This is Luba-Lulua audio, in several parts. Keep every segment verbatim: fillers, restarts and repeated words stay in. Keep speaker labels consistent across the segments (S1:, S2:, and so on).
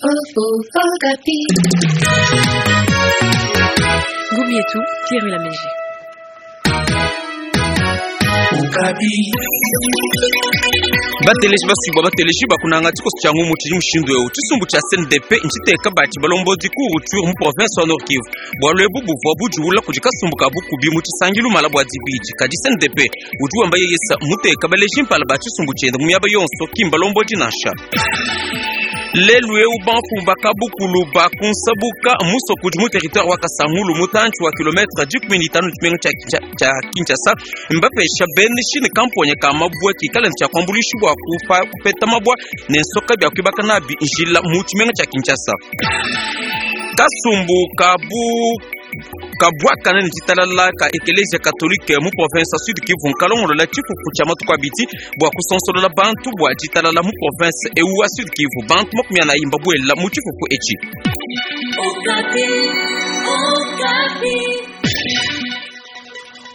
S1: Ngumu yetu Pierre Ulameji.
S2: Bateleji basubwa bateleji bakunanga tshikoso tshia ngumu tshidi mushindu eu. Tshisumbu tshia C N D P ntshiteka batshi balombodi ku Rutshuru mu province wa Nord Kivu. Bualu ebu buvua budiwula kudi kasumbu ka bukubi mu tshisangilu mala bua dibidi. Kadi C N D P udi wamba yeyesa muteka baleji mpala ba tshisumbu tshiende mu miaba yonso, ki mbalombodi nansha. Lelu eu bamfumu bakabukulu bakunsabuka musoko udi mu territoire wa Kasangulu, mutantshi wa kilometre dikumi ne itanu tshimenga tshia Kinshasa, mbapesha beneshi ne kamponya ka mabua kikale ne tshia kuambuluisha bua kupeta mabua ne nsoka bia kuibaka nabi njila mu tshimenga tshia Kinshasa. Kasumbu kabu kabwakana ne ditalala ka Ekelezia Katolike mu province Sud Kivu nkalongolola tshifufu tshia matuku abidi bua kusonsolola bantu bua ditalala mu province eu wa Sud Kivu. Bantu makumi anayi mbabuela mu tshifufu etshi.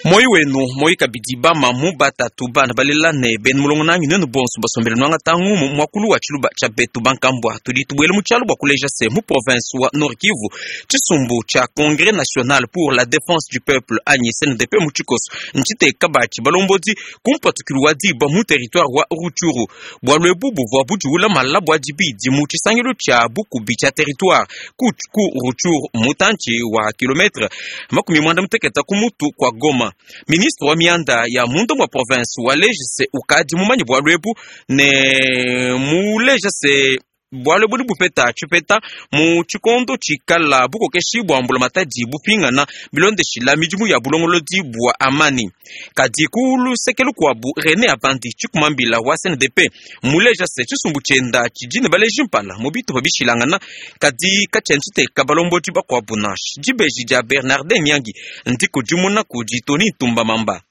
S2: Moyi wenu moyi kabidi bamamu, batatu, bana balela ne benu mulongo nanyi, nuenu bonso basombele nwanga tangu mu mwakulu wa tshiluba tshia betu bankambwa. Tudi tubuele mu tshialu bua kuleja se mu province wa Nord Kivu, tshisumbu tshia Congrès national pour la défense du peuple anyi C N D P mu tshikoso ntshiteka batshi balombodi kumpatukilu wa diba mu territoire wa Rutshuru. Bualu ebu buvua budiwula mala bua dibidi mu tshisangilu tshia bukubi tshia territoire ku, ku Rutshuru, mutantshi wa kilometre makumi mwanda muteketa ku mutu kwa Goma. Ministre wa mianda ya munda mwa province waleja se ukadi mumanye bualu ebu ne muleja se bualu ebu bupeta tshipeta mu tshikondo tshikala bukokeshi bua mbulamatadi bupingana bilondeshila midimu ya bulongolodi bua amani. Kadi ku luseke lukuabu, René Abandi, tshikumambila wa C N D P, muleja se tshisumbu tshienda tshidi ne baleji mpala mu bitupa bishilangana, kadi katshiena tshiteka balombodi bakuabu nansha. Dibeji dia Bernardin Nyangi ndikudimuna kudi Tony Tumba Mamba.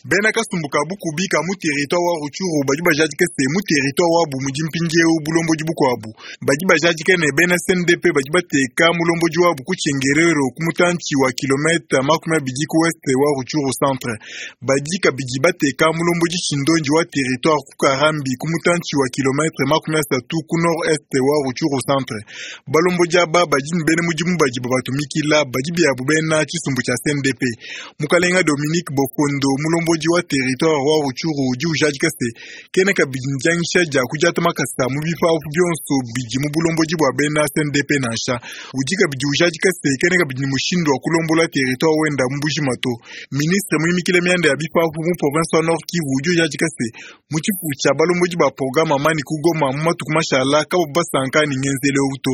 S3: Bena kasumbu ka bukubi ka mu territoire wa Rutshuru badi bajadike se mu territoire wabu mudi mpindieu bulombodi bukuabu. Badi bajadike ne bena C N D P badi bateka mulombodi wabu ku Tshengerero, ku mutantshi wa kilomètre makumi abidi ku ouest wa Rutshuru centre. Badi kabidi bateka mulombodi tshindonji wa territoire ku Karambi, ku mutantshi wa kilomètre makumi asatu ku nord est wa Rutshuru centre. Balombodi aba badi ne bena mudimu badi babatumikila, badi biabu bena tshisumbu tshia C N D P. Mukalenga Dominique Bokondo, mulombodi wa territoire wa Rutshuru, udi ujadika se kena kabidi ndiangisha dia kudiata makasa mu bipapu bionso bidi mu bulombodi bua bena C N D P nansha. Udi kabidi ujadika se kena kabidi ni mushindu wa kulombola territoire wenda mu bujima to. Ministre muimikile mianda ya bipapu mu province wa Nord Kivu udi ujadika se mu tshifufu tshia balombodi ba programme amani ku Goma mu matuku mashala kabo basanka ni ngenzele to.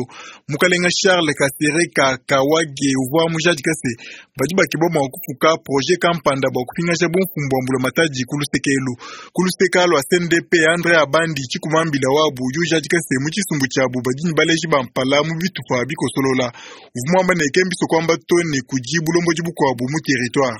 S3: Mukalenga Charles Kasereka Kawage uvua mujadika se badi bakeba mua kufuka projet kampanda bua kupingasha bumfumu bua mbulamatadi ku lusekelu ku luseka lua C N D P. Andre Abandi, tshikumambila wabu, udi ujadika se mu tshisumbu tshiabu badi ne baleji ba mpala mu bitupa bikosolola. Uvua muamba ne kembiso kuamba to ne kudi bulombodi bukuabu mu territoire.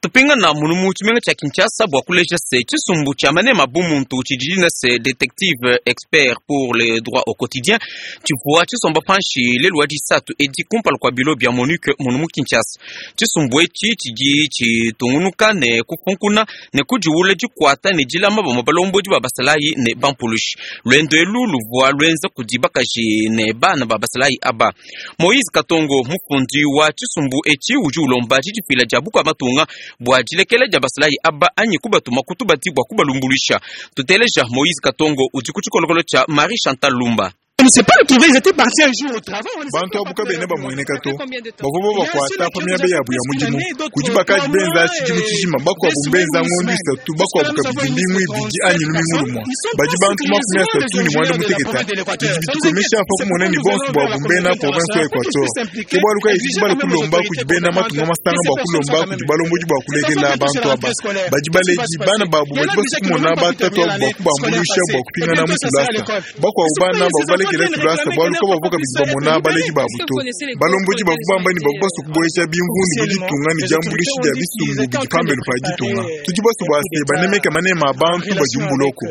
S2: Tupingana munu mu tshimenga tshia Kinshasa bua kuleja se tshisumbu tshia manema bumuntu tshidi ne se Détective expert pour les droits au quotidien tshivua tshisomba panshi lelu wa disatu edi kumpala kua bilo bia MONUC munu mu Kinshasa. Tshisumbu etshi tshidi tshitungunuka ne kufunkuna ne kudiwula dikuata ne dilama bamue balombodi ba basalayi ne bampulushi. Luendo elu luvua luenza kudi bakaji ne bana ba basalayi aba. Moïse Katongo, mufundi wa tshisumbu etshi, udi ulomba didifila dia bukua matunga bua dilekela dia basalayi aba anyi kubatuma kutubati bua kubalumbuluisha. Tuteleja Moïse Katongo udi ku tshikolokolo tshia Marie Chantal Lumba.
S4: On ne sait pas le trouver, ils étaient partis un jour au travail.
S3: Bantu abu kabene bamueneka to. Bavua babakuata pa miaba yabu ya mudimu. Kudi bakaji benza tshidimu tshijima, bakuabu mbenza ngondo isatu, bakuabu kabidi mbingu ibidi anyi lumingu lumua. Badi bantu makumi asatu ne mwanda muteketa. Bidi bitukomesha pa kumona ne bonso buabu mbena province wa Equateur. Ke bualu kayi tudi bala kulomba kudi bena matunga masanga bua kulomba kudi balombodi bua kulekela bantu aba. Badi baledi bana babu badi basu kumona batatu abu bua kubambuluisha bua kupingana mu tulasa. Bakuabu bana bavua balekela tulasa bualu kabavua kabidi bamona baledi babu to. Balombodi bavua bamba ne bavua basue kubueja bimvundu mu ditunga ne diambuluishi dia bisumbu bidi pambelu pa ditunga. Tudi basue bua se banemeke manema a bantu badi mu buloko.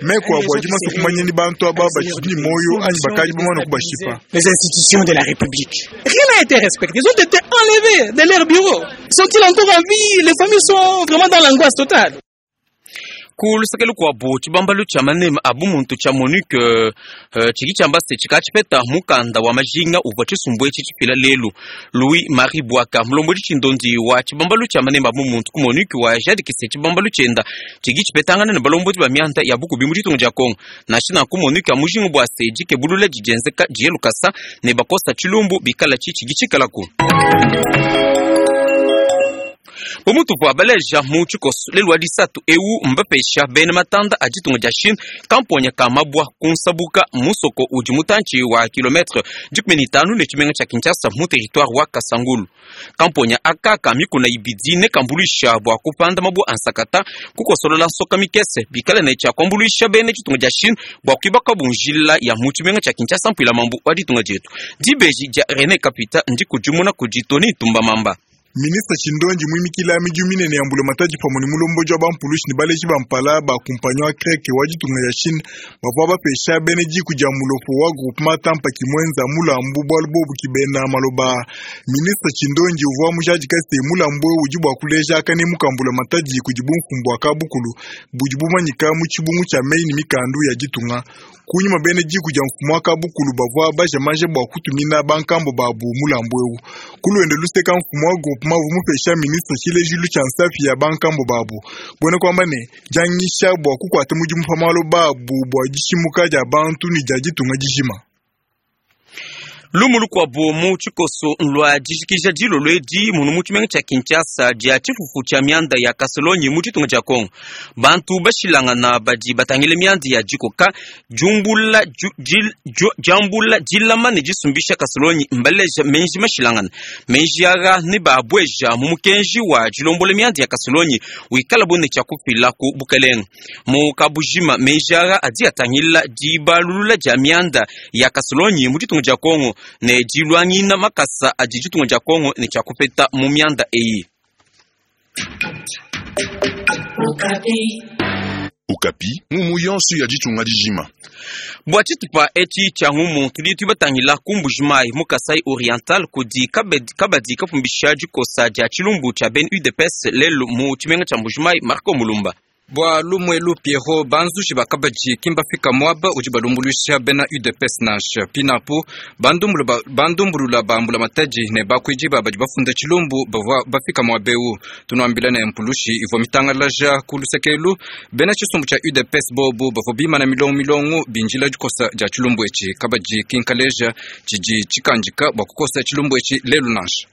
S3: Meku abu adi masue kumanya ni bantu aba batshidi ne muoyo anyi bakadi bamane kubashipa.
S4: Les institutions de la République. Rien n'a été respecté. Ils ont été enlevés de leur bureau. Sont-ils encore en vie? Les familles sont vraiment dans l'angoisse totale.
S2: Ku luseke lukuabu tshibambalu tshia manema a bumuntu tshia MONUC uh, tshidi tshiamba se tshikatshipeta mukanda wa majinga uvua tshisumbu etshi tshifila lelu. Louis Marie Bwaka, mulombodi tshindondi wa tshibambalu tshia manema a bumuntu ku MONUC, wa jadikise tshibambalu tshienda tshidi tshipetangana ne balombodi ba mianda ya bukubi mu ditunga dia Kongo. Nansha nanku MONUC amujinga bua se dikebulula didienzeka diye lukasa ne bakosa tshilumbu bikala tshi tshidi tshikalaku. Bumutu baleja mu tshikoso lelu wa disatu ewu mbapesha bena matanda a ditunga dia Chine kamponya ka mabwa kunsabuka musoko udi mutantshi wa kilometre dikumi ne itanu ne tshimenga tshia Kinshasa mu territoire wa Kasangulu. Kamponya aka ka mikuna ibidi ne kambuluisha bua kupanda mabwa a nsakata kukosolola nsoka mikese bikale ne tshia kuambuluisha bena ditunga dia Chine bua kuibaka bunjila ya mu tshimenga tshia Kinshasa mpuila mambu wa ditunga dietu. Dibeji dia René Kapita ndikudimuna kudi Tony Tumba Mamba.
S3: Ministre Chindonji mwimikila midimu minene ya mbulamatadi pamwe ne mulomboji wa bampulushi ne baleji ba mpala ba kumpanyi wa kreke wa ditunga ya Chine bavua bapesha bene diku dia mulopo wa groupement Tampa kimwenza mulambu bualu bobu kibena maloba. Ministre Chindonji uvua mujadika se mulambu eu udi bua kuleja kanemu ka mbulamatadi kudi bumfumbu bua kabukulu budi bumanyika mu tshibungu tshia meyi ne mikandu ya ditunga. Kunyima bene diku dia mfumu wa kabukulu bavua bajamaje bua kutumina bankambo babu mulambu eu. Kuluende luseka mfumu wa groupement mupesha ministre tshilejilu tshia nsapi ya bankambo babu buena kuamba ne dianyisha bua kukuata mudimu pa malo babu bua dishimuka dia bantu ne dia ditunga dijima.
S2: Lumu lukuabu mu tshikoso lua dijikija dilolo edi munu mu tshimenga tshia Kinshasa dia tshifufu tshia mianda ya Kasolonyi mu ditunga dia Kongo. Bantu bashilangana badi batangile mianda ya dikoka jumbula jambula dilama ne disumbisha Kasolonyi mbaleja menji mashilangana menji aga ne babweja mu mukenji wa dilombola mianda ya Kasolonyi wikala bone tshia kufila ku bukelenga mu kabujima. Menji aga adi atangila dibalulula dia mianda ya Kasolonyi mu ditunga dia Kongo ne dilwangina makasa adi ditunga dia Kongo ne tshia kupeta mu mianda eyi.
S5: Okapi ngumu yonso ya ditunga dijima.
S2: Bua tshitupa etshi tshia ngumu tudi tubatangila ku Mbujimayi mu Kasai Oriental kudi kabadi, kabadi kapumbisha dikosa dia tshilumbu tshia ben U D P S lelu mu tshimenga tshia Mbujimayi. Marco Mulumba.
S6: Bua lumwelu Pierrot banzushi bakabadi kimbafika mwaba udi balumbuluisha bena U D P S nansha pinapu bandumbulula bambula matadi ne bakuidi badi bafunda tshilumbu bavua bafika mwabeu tunuambila ne mpulushi ivua mitangalaja ku lusekelu bena tshisumbu tshia U D P S bobu bavua bimana milongo milongo binjila dikosa dia tshilumbu etshi kabadi kinkaleja tshidi tshikandika bua kukosa tshilumbu etshi lelu nansha.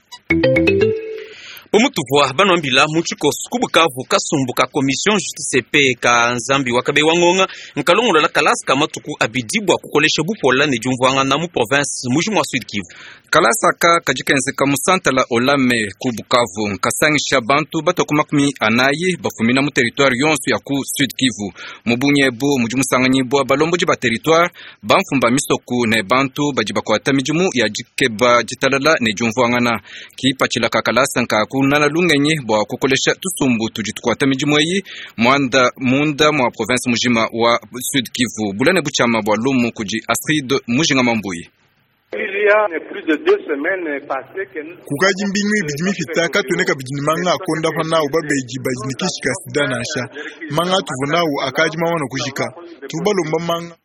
S2: Omutuvua banwambila mu tshikoso ku Bukavu kasumbu ka commission justice pe ka nzambi wakabe wangonga nkalongolola kalasa ka matuku abidi bua kukolesha bupola ne diumvuangana mu province mujimu wa Sud Kivu.
S6: Kalasa ka kadikenzeka mu santala olame ku Bukavu nkasangisha bantu batoku makumi anayi bafumina mu territoire yonso ya ku Sud Kivu mu bunyebu mudi musanganyibwa balombodi ba territoire bamfumba misoku ne bantu badi bakwata midimu ya dikeba ditalala ne diumvuangana kipatshila ka kalasa nka nana lungenyi bua kukolesha tusumbu tudi tukwata midimu eyi mwanda munda mwa province mujima wa Sud Kivu bulane buchama bua lumu kudi Astrid Mujinga Mambuyi.
S3: Kukaji mbingu ibidi mifita katwene kabidi ne manga akonda pa nawu babeji badi ne kishika sida nansha manga tuvu nawu akaji mamana kujika tubalomba manga.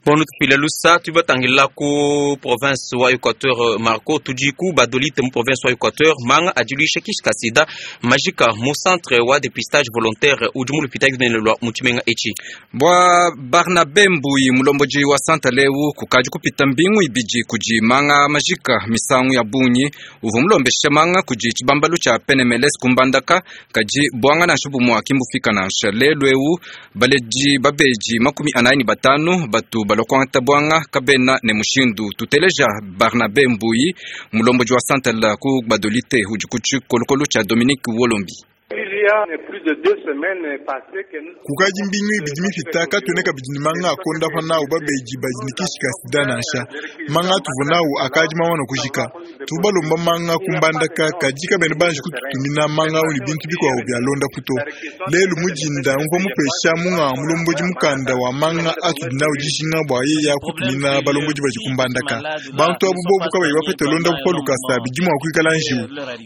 S2: Bon, tupila lusa tubatangila ku province wa Equateur Marco tudi ku badolite mu province wa Equateur manga adiluisha kishika sida majika mu centre wa dépistage volontaire udi mu lupita gunene lwa mu tshimenga etshi.
S6: Bwa Barnabe Mbuyi mulomboji wa santa leu kukaji kupita mbingu ibidi kudi manga majika misangu ya bunyi uvu mulombesha manga kudi tshibambalu tshia P N M L S kumbandaka kaji bwanga nansha bumwa kimbufika nansha lelu eu baleji babeji makumi anayi ni batanu batu balokwanta bwanga kabena ne mushindu tuteleja Barnabe Mbuyi mulomboji wa santala ku badolite udi ku tshikolokolo tshia Dominique Wolombi.
S3: Kukaji mbingu ibidi mifita katwene kabidi ne manga akonda pa nawu babeji badi ne kishika sida nansha manga tuvu nawu akaji mamana kujika tubalomba manga kumbandaka kaji kabene banji kututumina manga au ne bintu bikuabu bia londa puto lelu mujinda mvua mupesha munga mulomboji mukanda wa manga atudi nawu dijinga bua yeya kutumina balomboji badi kumbandaka bantu abu bobu kabayi bapete londa pa lukasa bidi mua kuikala njiwu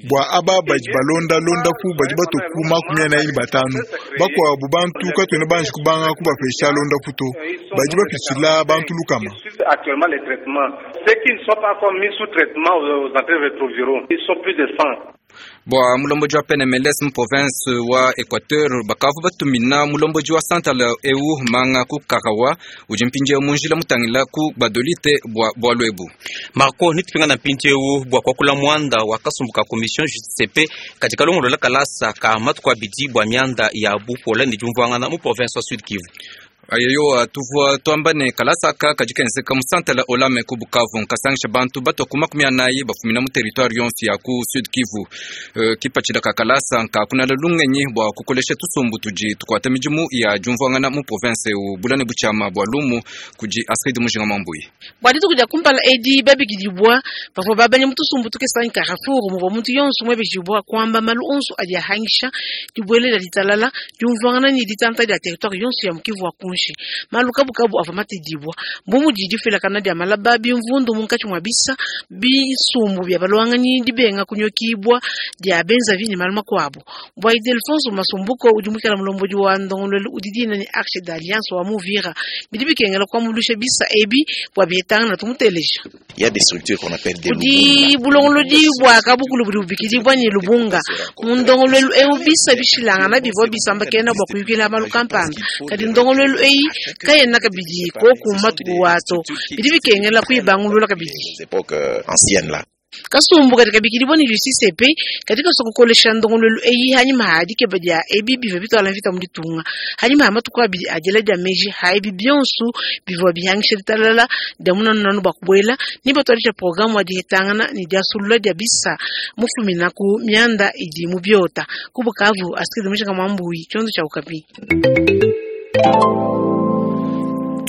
S3: bua aba badi balonda londa ku badi batoku makumi anayi ne batanu. Bakuabu bantu katuena banji kubanga kubapesha londapu to. Badi bapitshila bantu lukama.
S7: Actuellement les traitements, ceux qui ne sont pas encore mis sous traitement aux antirétroviraux, ils sont plus de cent.
S6: Bua mulomboji wa P N M L S mu province wa Equateur bakavu batumina mulomboji wa Santala eu manga ku Karawa udi mpindieu mu njila mutangila ku Badolite bua bualu ebu.
S2: Marco nitupingana mpindieu bua kuakula muanda wa kasumbu ka commission J C P katika longolola kalasa ka matuku abidi bua mianda ya bupola ne diumvuangana mu province wa Sud Kivu.
S6: Ayeyo tuvua tuamba ne kalasa aka kadi kenzeka mu Santala Olame ku Bukavu nkasangisha bantu batua ku makumi anayi bafumina mu territoire yonso ya ku Sud Kivu. Uh, kipatshila ka kalasa nkakunala lungenyi bua kukolesha tusumbu tudi tukuata midimu ya diumvuangana mu province eu bulane butshiama bua lumu kudi Astrid Mujinga Mambuyi.
S8: Bua dituku dia kumpala edi babikidibua bavua babanya mu tusumbu tukesa Carrefour muvua muntu yonso muebejibua kuamba malu onso adi ahangisha dibuelela ditalala diumvuangana ne ditanta dia territoire yonso ya mu Kivu wa kunshi. Malu kabukabu ava matedibwa mbumu didi felakana dia malaba bimvundu munkatshi mwa bisa bisumbu bya balwanganyi dibenga kunyokibwa dia benza vini malu makuabu. Bwa Ildefonso Masumbuko udi mukela mulombodi wa ndongololo udi dina ni Arche d'Alliance wa Muvira bidi bikengela kuamulusha bisa ebi bwa bietanga na tumuteleja.
S9: Il y a des structures qu'on appelle des
S8: Udi bulongolodi bwa kabukulu budi bubikidibwa ni lubunga mu ndongololo eu bisa bishilangana bivua bisamba kena bwa kuyukila malu kampanda kadi ndongololo eyi kayena kabidi koku matuku wato bidi bikengela kuibangulula kabidi. Kasumbu katika bikidibwa ni Justice P katika sokukolesha ndongololo eyi hanyuma hadikeba dia ebi bivua bitwala mvita mu ditunga hanyuma ha matuku abidi adiela dia meji ha ebi bionso bivua bihangisha ditalala dia munanunanu bua kubuela ni batwalisha programu wa dihetangana ni diasulula dia bisa mufumina ku mianda idi mu biota ku Bukavu. Astrid Mujinga Mwambuyi, chiondo cha Okapi.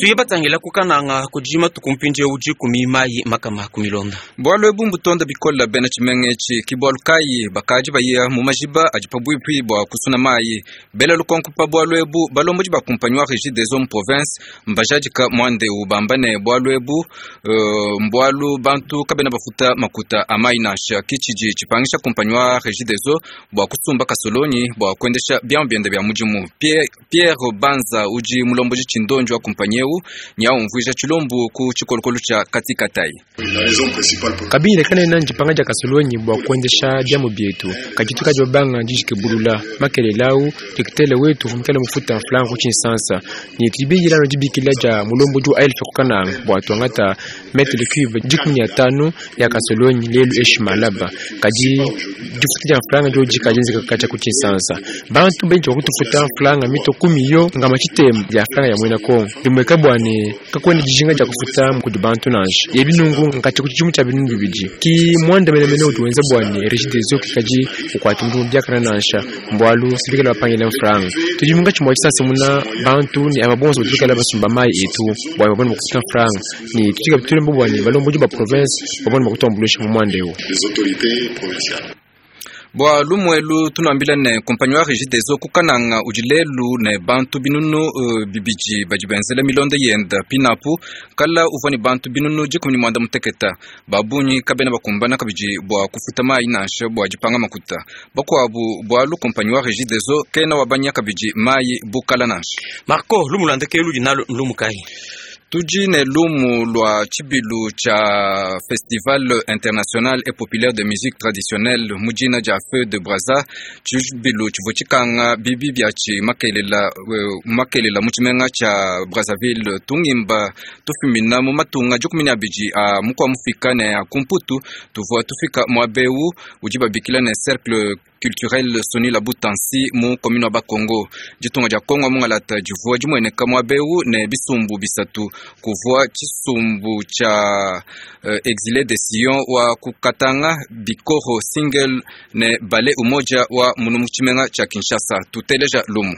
S2: Tuye batangila kukananga kujima tukumpinje uji kumimayi makama kumilonda.
S6: Bwalo ebu mbutonda bikola bena tshimenge etshi kibwalu kayi bakaji baya mu majiba adi pabuipi bua kusuna mayi. Bela lukonko pa bwalo ebu balombodi ba kumpanyi wa Régie des Hommes province mbajadika mwandeu bamba ne bwalo ebu uh, mbwalu bantu kabena bafuta makuta amayi nansha kitshidi tshipangisha kumpanyi wa Régie des Eaux bua kusumba kasolonyi bua kuendesha biamu biende bia mudimu. Pierre, Pierre Banza uji mulomboji tshindonji wa kumpanyi eu nyaumvuija tshilombu ku tshikolokolo tshia katikatai.
S10: Kabila kanena njipanga dia kasolonyi bua kuendesha biamu bietu kaditu kadi babanga dijikebulula makelelawu dikitele wetu vumukela mufuta mfulango ku tshinsansa ni tudibiyilano dibikila dia mulombo ju aelfe kukananga bua tuangata metre cube dikumi ya tano ya kasolonyi lelu eshi malaba kadi difuta dia mfulanga dio dikadienzeka katia ku tshinsansa bantu benji bakutufuta mfulanga mito kumi yo ngama tshitema dia mfulanga ya mwena kongo bimweka bwane kakwenda dijinga dia kufuta mukudi bantu nansha yebi nungu nkati ku tshidimu tshia binunu bibidi ki mwanda menemene udi wenza bwane Régie des Eaux kikadi ukwata mudimu biakana nansha mbwalu sibikala bapangila mfulanga tudi munkatshi mua tshisansa muna bantu ni aba bonso badibikala basumba mayi etu bwane babone bakufuta mfulanga ni tutika bitulembo bwane balombodi ba province babone bakutuambuluisha mu mwanda eu.
S6: Bua lumuelu tunambila ne kumpanyi wa Régie des Eaux kukananga udi lelu ne bantu binunu uh, bibidi badi benzela milonda yenda pinapu kala uvua ne bantu binunu dikumi ne muanda muteketa babunyi kabena bakumbana kabidi bua kufuta mayi nansha bua dipanga makuta bakuabu bualu kumpanyi wa Régie des Eaux kena wabanya kabidi mayi bukala nansha.
S2: Marco lumulanda kelu dinalo lumukai.
S6: Tudi ne lumu lua tshibilu tshia Festival International et Populaire de Musique Traditionnelle mudina dia Feu de Brazza tshibilu tshivua tshikanga bibi biatshi makelela uh, makelela mu tshimenga tshia Brazzaville tungimba tufumina mu matunga dikumi ne abidi a mukua mufika ne a kumputu tuvua tufika muabeu udi babikila ne Cercle culturel Soni Labutansi mu commune wa Bakongo ditunga dia Kongo mungalata divua dimueneka muabeu ne bisumbu bisatu kuvua tshisumbu tshia uh, exilé de Sion wa kukatanga bikoro single ne bale umoja wa munu mu tshimenga tshia Kinshasa tuteleja lumu.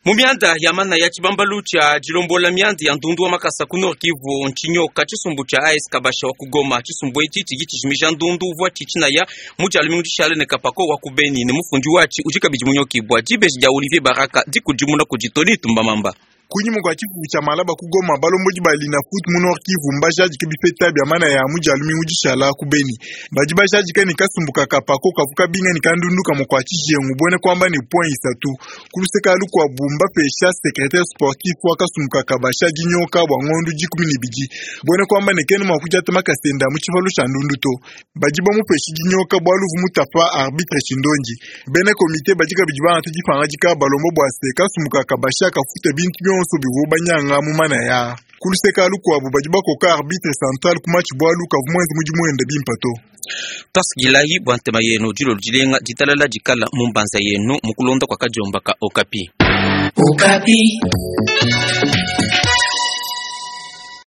S2: Mu mianda ya mana ya tshibambalu tshia dilombola mianda ya ndundu wa makasa ku Nord Kivu ntshinyoka tshisumbu tshia A S Kabasha wa kugoma. Tshisumbu etshi tshidi tshijimija ndundu uvua tshitshinaya mu tshia lumingu tshishale ne kapako wa kubeni ne mufundi watshi udi kabidi munyokibwa. Dibeji dia Olivier Baraka dikudimuna kudi Tony Tumbamamba.
S3: Kunyima kwa tshifufu tshia malaba kugoma balombodi ba Linafoot mu Nord Kivu mbajadike bipeta bia mana ya mu dia lumingu dishala ku Beni. Badi bajadike ne kasumbu ka kapako kavu kabinga ne kandundu kamue kua tshijengu buene kuamba ne point isatu. Kuluseka lukuabu mbapesha secrétaire sportif wa kasumbu ka kabasha dinyoka bua ngondu dikumi ne bidi. Buene kuamba ne kene mua kudiata makasenda mu tshivalu tshia ndundu to. Badi bamupesha dinyoka bualu vu mutapa arbitre Tshindongi. Bena komite badi kabidi bangata dipangadika balombo bua se kasumbu ka kabasha kafuta bintu bionso bivu banyanga mu mana ya. Kuluseka lukuabu badi bakoka arbitre central ku match bualu kavu mwenze mudimu wende bimpa to.
S2: Twasigilayi bua ntema yenu dilolo dilenga ditalala dikala mu mbanza yenu mukulonda kwa kadiomba ka Okapi.
S1: Okapi.